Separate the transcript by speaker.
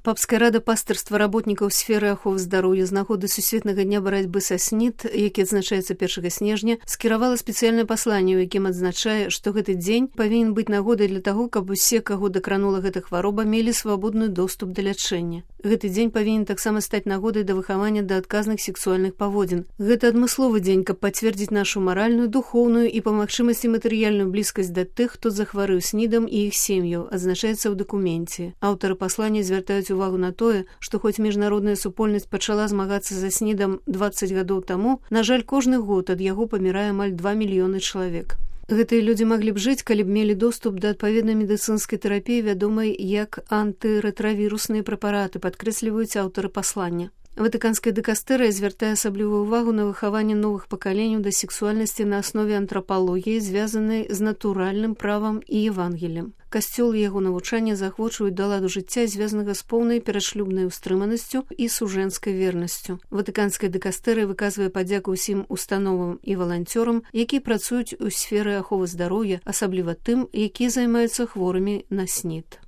Speaker 1: Папская рада пастырства работнікаў сферы аховы здароўя з нагоды сусветнага дня барацьбы са СНИД, які адзначаецца 1 снежня, скіравала спецыяльнае пасланне, у якім адзначае, што гэты дзень павінен быць нагодай для таго, каб усе, каго дакранула гэта хвароба, мелі свабодны доступ да лячэння. Гэты дзень павінен таксама стаць нагодай да выхавання да адказных сексуальных паводзін. Гэта адмысловы дзень, каб пацвердзіць нашу маральную, духоўную і па магчымасці матэрыяльную блізкасць да тых, хто захварэў СНИДам і іх сем'яў, адзначаецца ў дакуменце. Аўтары паслання звяртаюць увагу на тое, што хоць міжнародная супольнасць пачала змагацца за СНИДам 20 гадоў таму, на жаль, кожны год ад яго памірае амаль 2 мільёны чалавек. Гэтыя людзі маглі б жыць, калі б мелі доступ да адпаведнай медыцынскай тэрапіі, вядомай як антырэтравірусныя прэпараты, падкрэсліваюць аўтары паслання. Ватыканская дыкастэрыя звяртае асаблівую увагу на выхаванне новых пакаленняў да сексуальнасці на аснове антрапалогіі, звязанай з натуральным правам і евангелем. Касцёл і яго навучанне заахвочваюць да ладу жыцця, звязанага з поўнай перашлюбнай устрыманасцю і сужэнскай вернасцю. Ватыканская дыкастэрыя выказвае падзяку ўсім установам і валанцёрам, якія працуюць у сферы аховы здароўя, асабліва тым, якія займаюцца хворымі на СНИД.